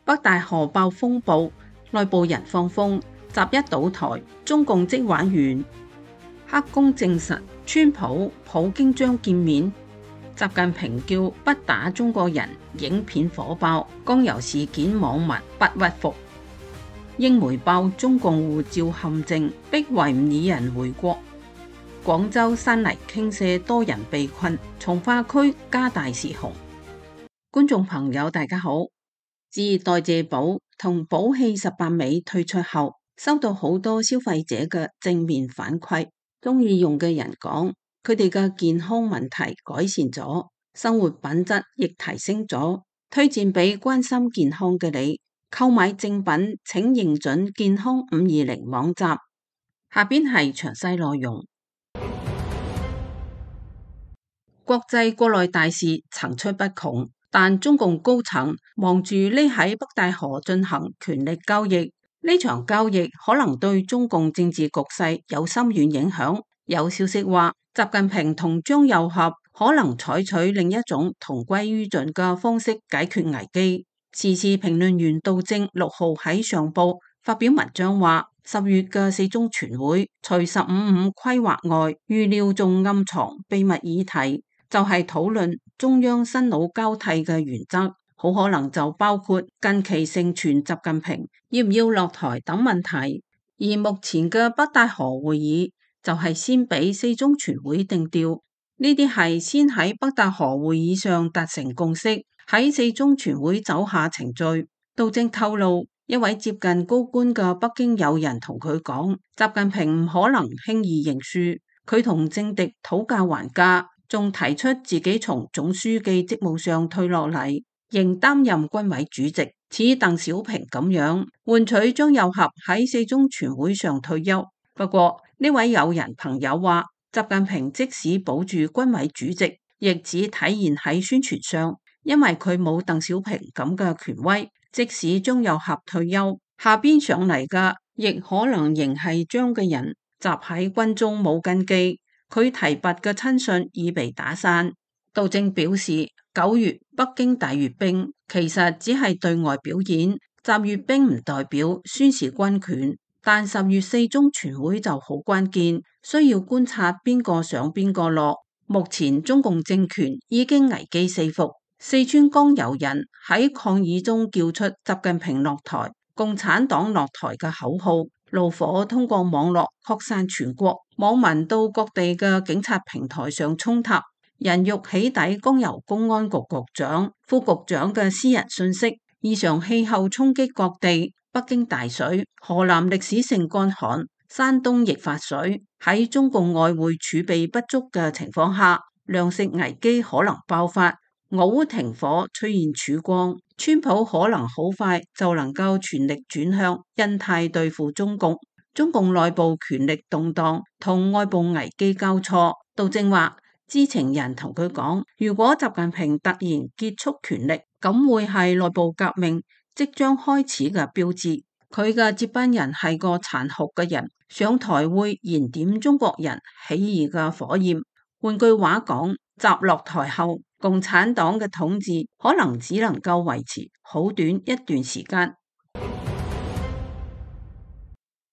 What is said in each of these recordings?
北大河爆風暴，內部人放風，習一倒台，中共即玩完。黑宮證實，川普京將見面。習近平叫不打中國人，影片火爆，江油事件網民不屈服。英媒爆中共護照陷阱，逼維吾爾人回國。廣州山泥傾瀉，多人被困，從化區加大泄洪。觀眾朋友大家好，自代謝寶同寶氣18美推出後，收到好多消費者嘅正面反饋，中意用嘅人講，佢哋嘅健康問題改善咗，生活品質亦提升咗，推薦俾關心健康嘅你。購買正品請認準健康520網站。下邊係詳細內容。國際國內大事層出不窮，但中共高層忙住匿喺北大河進行權力交易。呢場交易可能對中共政治局勢有深遠影響。有消息話，習近平同張又俠可能採取另一種同歸於盡嘅方式解決危機。時事評論員杜正6號喺上報發表文章話，10月嘅四中全會除15.5規劃外，預料仲暗藏秘密議題。就係討論中央新老交替嘅原則，好可能就包括近期盛傳習近平要唔要落台等問題。而目前嘅北大河會議就係先俾四中全會定調，呢啲係先喺北大河會議上達成共識，喺四中全會走下程序。杜正透露，一位接近高官嘅北京友人同佢講，習近平唔可能輕易認輸，佢同政敵討價還價。仲提出自己從總書記職務上退落嚟，仍擔任軍委主席，似鄧小平咁樣，換取張又俠喺四中全會上退休。不過呢位友人朋友話，習近平即使保住軍委主席，亦只體現喺宣傳上，因為佢冇鄧小平咁嘅權威。即使張又俠退休，下邊上嚟嘅亦可能仍係張嘅人，習喺軍中冇根基。佢提拔嘅親信已被打散。杜正表示，9月北京大閱兵其實只係對外表演，習閱兵唔代表宣示軍權。但10月四中全會就好關鍵，需要觀察邊個上邊個落。目前中共政權已經危機四伏，四川江油人喺抗議中叫出習近平落台、共產黨落台嘅口號。怒火通過網絡擴散全國，網民到各地嘅警察平台上衝塔，人肉起底江油公安局局長、副局長嘅私人信息。異常氣候衝擊各地，北京大水，河南歷史性乾旱，山東亦發水。喺中共外匯儲備不足嘅情況下，糧食危機可能爆發。俄烏停火出現曙光，川普可能好快就能夠全力轉向印太對付中共。中共內部權力動盪同外部危機交錯。杜正話，知情人同佢講，如果習近平突然結束權力，咁會係內部革命即將開始嘅標誌。佢嘅接班人係個殘酷嘅人，上台會燃點中國人起義嘅火焰。換句話講，習落台後，共產黨嘅統治可能只能夠維持好短一段時間。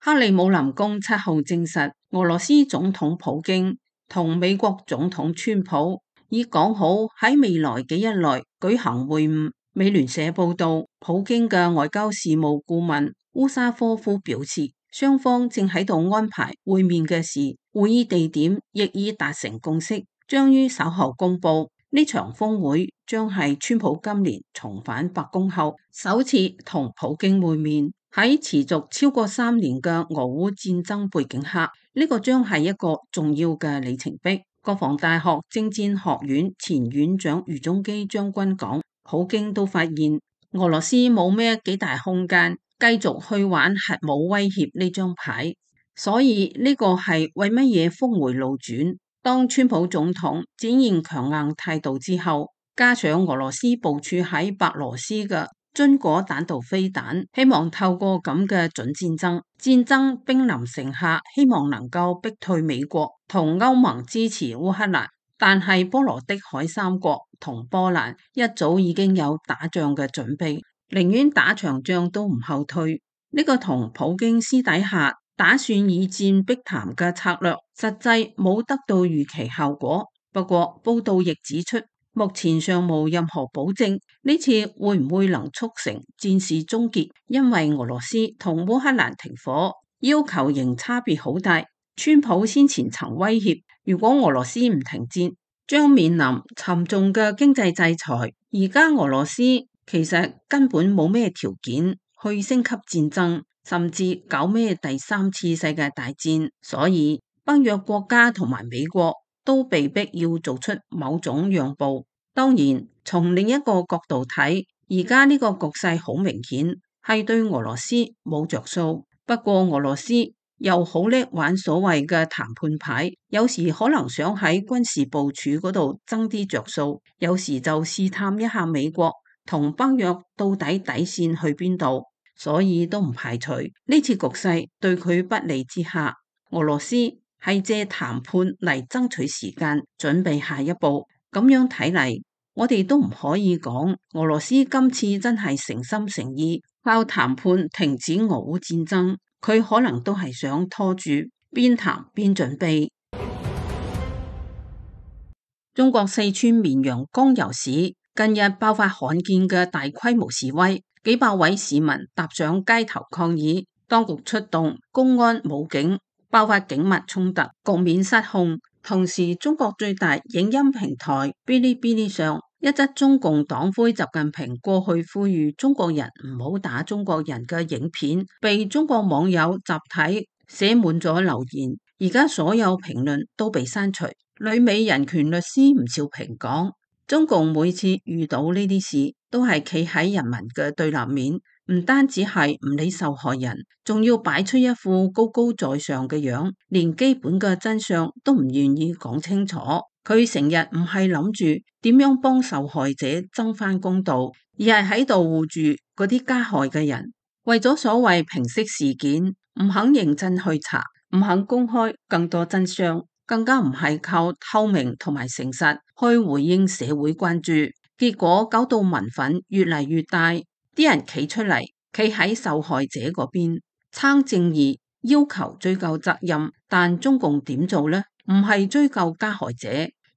克里姆林宮7號證實，俄羅斯總統普京同美國總統川普已講好喺未來幾日內舉行會晤。美聯社報道，普京嘅外交事務顧問烏沙科夫表示，雙方正喺度安排會面嘅事，會議地點亦已達成共識，將於稍後公布。呢場峰會將係川普今年重返白宮後首次同普京會面。喺持續超過3年嘅俄烏戰爭背景下，呢個將係一個重要嘅里程碑。國防大學政戰學院前院長余中基將軍講，普京都發現俄羅斯冇咩幾大空間繼續去玩核武威脅呢張牌，所以呢個係為乜嘢峰回路轉。當川普總統展現強硬態度之後，加上俄羅斯部署喺白羅斯嘅榛果彈道飛彈，希望透過咁嘅準戰爭兵臨城下，希望能夠逼退美國同歐盟支持烏克蘭。但係波羅的海三國同波蘭一早已經有打仗嘅準備，寧願打場仗都唔後退。呢個同普京私底下打算以戰逼談嘅策略，實際冇得到預期效果。不過報道亦指出，目前尚無任何保證呢次會唔會能促成戰事終結，因為俄羅斯同烏克蘭停火要求仍差別好大。川普先前曾威脅，如果俄羅斯唔停戰，將面臨沉重嘅經濟制裁。而家俄羅斯其實根本冇咩條件去升級戰爭，甚至搞咩第三次世界大戰，所以北約國家同埋美國都被逼要做出某種讓步。當然，從另一個角度睇，而家呢個局勢好明顯係對俄羅斯冇着數。不過俄羅斯又好叻玩所謂嘅談判牌，有時可能想喺軍事部署嗰度爭啲着數，有時就試探一下美國同北約到底底線去邊度，所以都唔排除呢次局勢對佢不利之下，俄羅斯係借談判嚟爭取時間，準備下一步。咁樣睇嚟，我哋都唔可以講俄羅斯今次真係誠心誠意靠談判停止俄烏戰爭。佢可能都係想拖住，邊談邊準備。中國四川綿陽江油市近日爆發罕見嘅大規模示威，幾百位市民踏上街頭抗議，當局出動公安武警，爆發警民衝突，局面失控。同時，中國最大影音平台嗶哩嗶哩上一則中共黨魁習近平過去呼籲中國人唔好打中國人嘅影片，被中國網友集體寫滿咗留言，而家所有評論都被刪除。旅美人權律師吳兆平講，中共每次遇到呢啲事，都係企喺人民嘅對立面，唔單止係唔理受害人，仲要擺出一副高高在上嘅樣，連基本嘅真相都唔願意講清楚。佢成日唔係諗住點樣幫受害者爭返公道，而係喺度護住嗰啲加害嘅人。為咗所謂平息事件，唔肯認真去查，唔肯公開更多真相，更加唔係靠透明同埋誠實去回應社會關注。結果搞到民憤越嚟越大，啲人企出嚟，企喺受害者嗰邊，撐正義，要求追究責任。但中共點做呢？唔係追究加害者，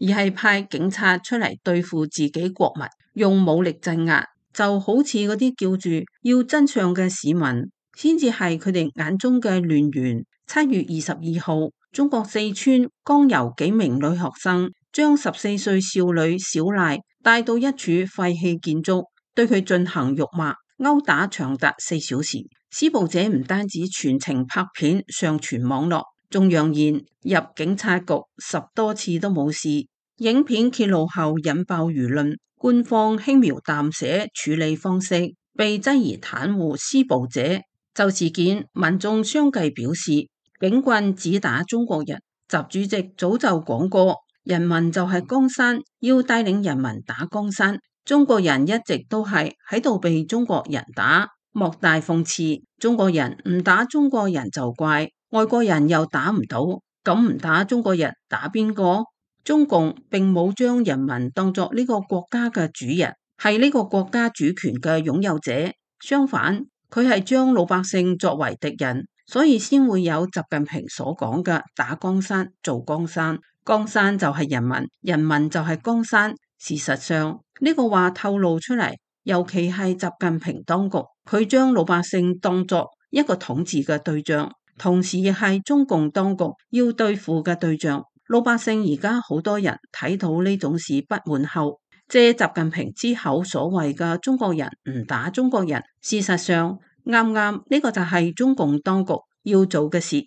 而係派警察出嚟對付自己國民，用武力鎮壓，就好似嗰啲叫住要真相嘅市民，先至係佢哋眼中嘅亂源。7月22號，中國四川江油幾名女學生將14歲少女小賴帶到一處廢棄建築，對佢進行辱罵、毆打長達4小時。施暴者唔單止全程拍片上傳網絡，仲揚言入警察局10多次都冇事。影片揭露後引爆輿論，官方輕描淡寫處理方式被質疑袒護施暴者。就事件，民眾相繼表示，警棍只打中國人。習主席早就講過，人民就係江山，要帶領人民打江山。中國人一直都係喺度被中國人打，莫大諷刺。中國人唔打中國人就怪，外國人又打唔到，咁唔打中國人打邊個？中共並冇將人民當作呢個國家嘅主人，係呢個國家主權嘅擁有者。相反，佢係將老百姓作為敵人，所以先會有習近平所講嘅打江山做江山。江山就係人民，人民就係江山。事實上，呢個話透露出嚟，尤其係習近平當局，佢將老百姓當作一個統治嘅對象，同時亦係中共當局要對付嘅對象。老百姓而家好多人睇到呢種事不滿後，借習近平之口所謂嘅中國人唔打中國人，事實上啱啱呢個就係中共當局要做嘅事。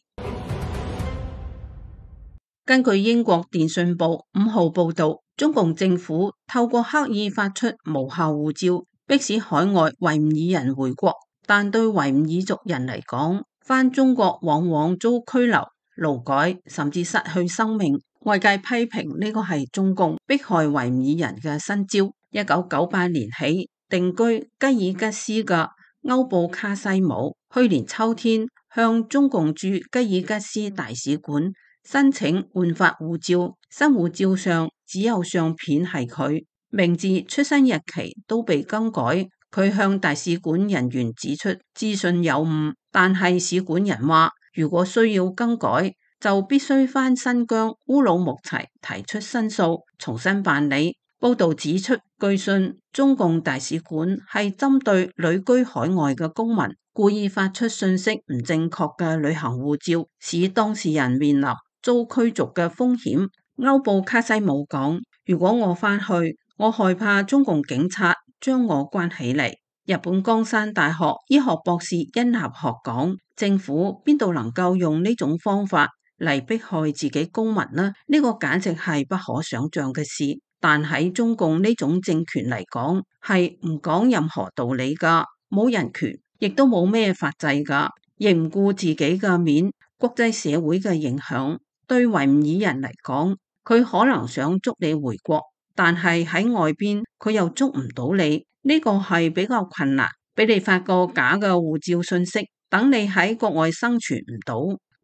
根據英國電訊報5號報道，中共政府透過刻意發出無效護照，迫使海外維吾爾人回國，但對維吾爾族人嚟講，返中國往往遭拘留、勞改，甚至失去生命。外界批評呢個係中共迫害維吾爾人嘅新招。1998年起定居吉爾吉斯嘅歐布卡西姆，去年秋天向中共駐吉爾吉斯大使館申請換發護照，新護照上只有相片係佢，名字、出生日期都被更改。佢向大使館人員指出資訊有誤，但係使館人話，如果需要更改，就必須返新疆烏魯木齊提出申訴，重新辦理。報道指出，據信中共大使館係針對旅居海外嘅公民，故意發出信息唔正確嘅旅行護照，使當事人面臨遭驅逐嘅風險。歐布卡西姆講：如果我返去，我害怕中共警察將我關起嚟。日本江山大學醫學博士殷立學講：政府邊度能夠用呢種方法嚟迫害自己公民呢？呢個簡直係不可想象嘅事。但喺中共呢種政權嚟講，係唔講任何道理噶，冇人權，亦都冇咩法制噶，亦唔顧自己嘅面，國際社會嘅影響。對維吾爾人嚟講，佢可能想捉你回國，但係喺外邊佢又捉唔到你，呢個係比較困難。俾你發個假嘅護照信息，等你喺國外生存唔到，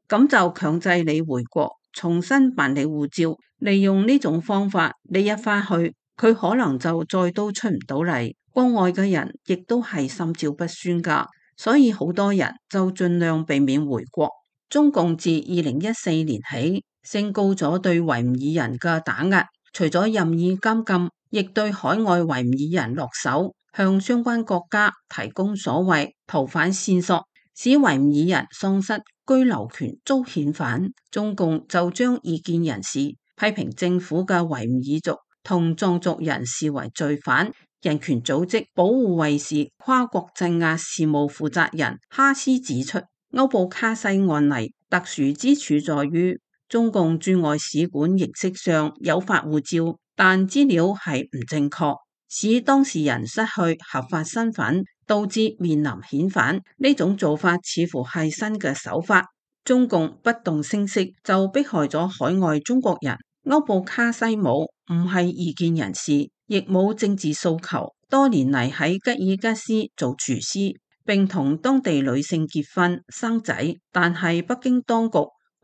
咁就強制你回國，重新辦理護照。利用呢種方法，你一返去，佢可能就再都出唔到嚟。國外嘅人亦都係心照不宣噶，所以好多人就盡量避免回國。中共自2014年起升高咗對維吾爾人嘅打壓，除咗任意監禁，亦對海外維吾爾人落手，向相關國家提供所謂逃犯線索，使維吾爾人喪失居留權遭遣返。中共就將異見人士、批評政府嘅維吾爾族同藏族人視為罪犯。人權組織保護衛士跨國鎮壓事務負責人哈斯指出，歐布卡西案例特殊之處在於，中共駐外使館形式上有發護照，但資料係唔正確，使當事人失去合法身份，導致面臨遣返。呢種做法似乎係新嘅手法。中共不動聲色就迫害咗海外中國人。歐布卡西姆唔係異見人士，亦冇政治訴求，多年嚟喺吉爾吉斯做廚師，並同當地女性結婚生仔，但係北京當局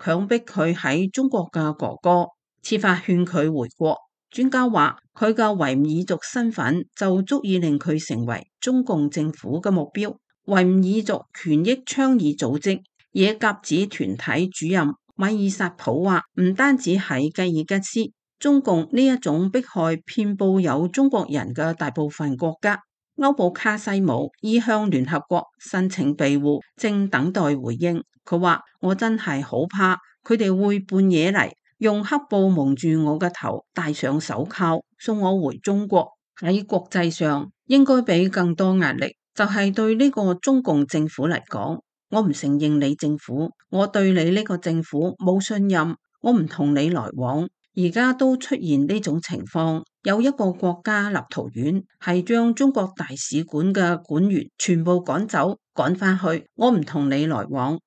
強迫佢喺中國嘅哥哥設法勸佢回國。專家話佢嘅維吾爾族身份就足以令佢成為中共政府嘅目標。維吾爾族權益倡議組織野鴿子團體主任米爾薩普話，唔單止喺吉爾吉斯，中共呢一種迫害遍佈有中國人嘅大部分國家。歐布卡西姆已向聯合國申請庇護，正等待回應。佢話：我真係好怕佢哋會半夜嚟，用黑布蒙住我嘅頭，戴上手銬送我回中國。喺國際上應該俾更多壓力，就係對呢個中共政府嚟講。我唔承認你政府，我對你呢個政府冇信任，我唔同你來往。而家都出現呢種情況，有一個國家立陶宛係將中國大使館嘅館員全部趕走，趕返去，我唔同你來往。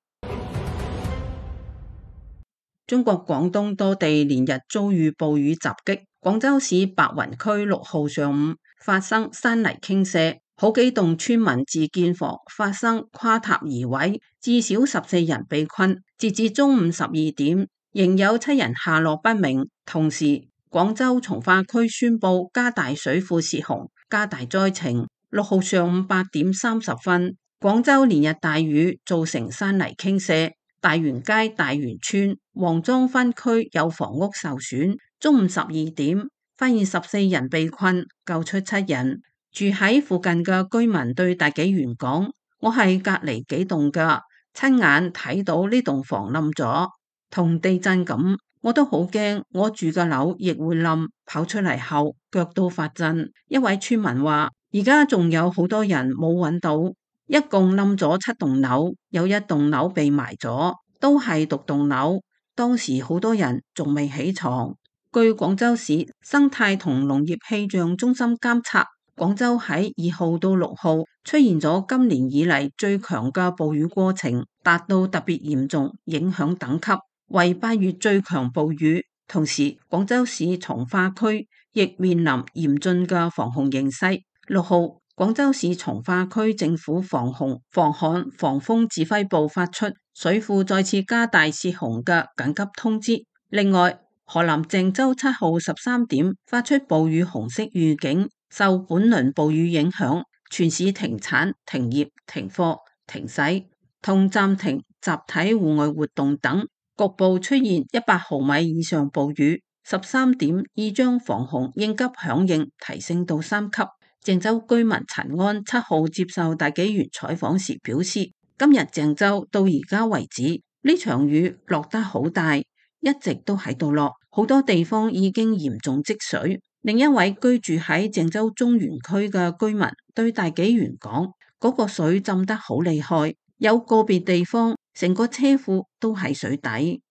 中國廣東多地連日遭遇暴雨襲擊，廣州市白雲區6號上午發生山泥傾瀉。好幾棟村民自建房發生垮塌移位，至少14人被困。截至中午12點，仍有7人下落不明。同時，廣州從化區宣布加大水庫泄洪，加大災情。6號上午8點30分，廣州連日大雨造成山泥傾瀉，大園街大園村黃莊分區有房屋受損。中午12點，發現14人被困，救出7人。住喺附近嘅居民對大紀元講：我係隔離幾棟噶，親眼睇到呢棟房冧咗，同地震咁，我都好驚，我住嘅樓亦會冧。跑出嚟後腳都發震。一位村民話：而家仲有好多人冇揾到，一共冧咗7棟樓，有一棟樓被埋咗，都係獨棟樓。當時好多人仲未起床。據廣州市生態同農業氣象中心監測，廣州喺2號到6號出現咗今年以嚟最強嘅暴雨過程，達到特別嚴重影響等級，為8月最強暴雨。同時，廣州市從化區亦面臨嚴峻嘅防洪形勢。6號，廣州市從化區政府防洪、防旱、防風指揮部發出水庫再次加大泄洪嘅緊急通知。另外，河南鄭州7號13點發出暴雨紅色預警。受本輪暴雨影響，全市停產、停業、停課、停駛同暫停集體戶外活動等，局部出現100毫米以上暴雨。13點已將防洪應急響應提升到3級。鄭州居民陳安7號接受大紀元採訪時表示，今日鄭州到而家為止，呢場雨落得好大，一直都喺度落，好多地方已經嚴重積水。另一位居住喺鄭州中原區嘅居民對大紀元講，嗰個水浸得好厲害，有個別地方成個車庫都喺水底。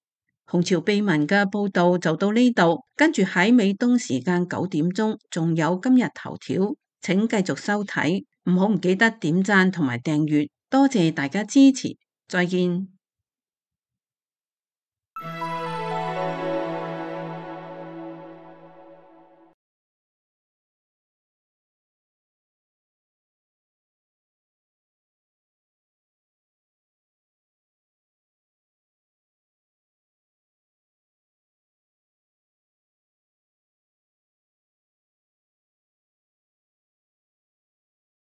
紅潮秘聞嘅報道就到呢度，跟住喺美東時間9點鐘仲有今日頭條，請繼續收睇，唔記得點讚同埋訂閱，多謝大家支持，再見。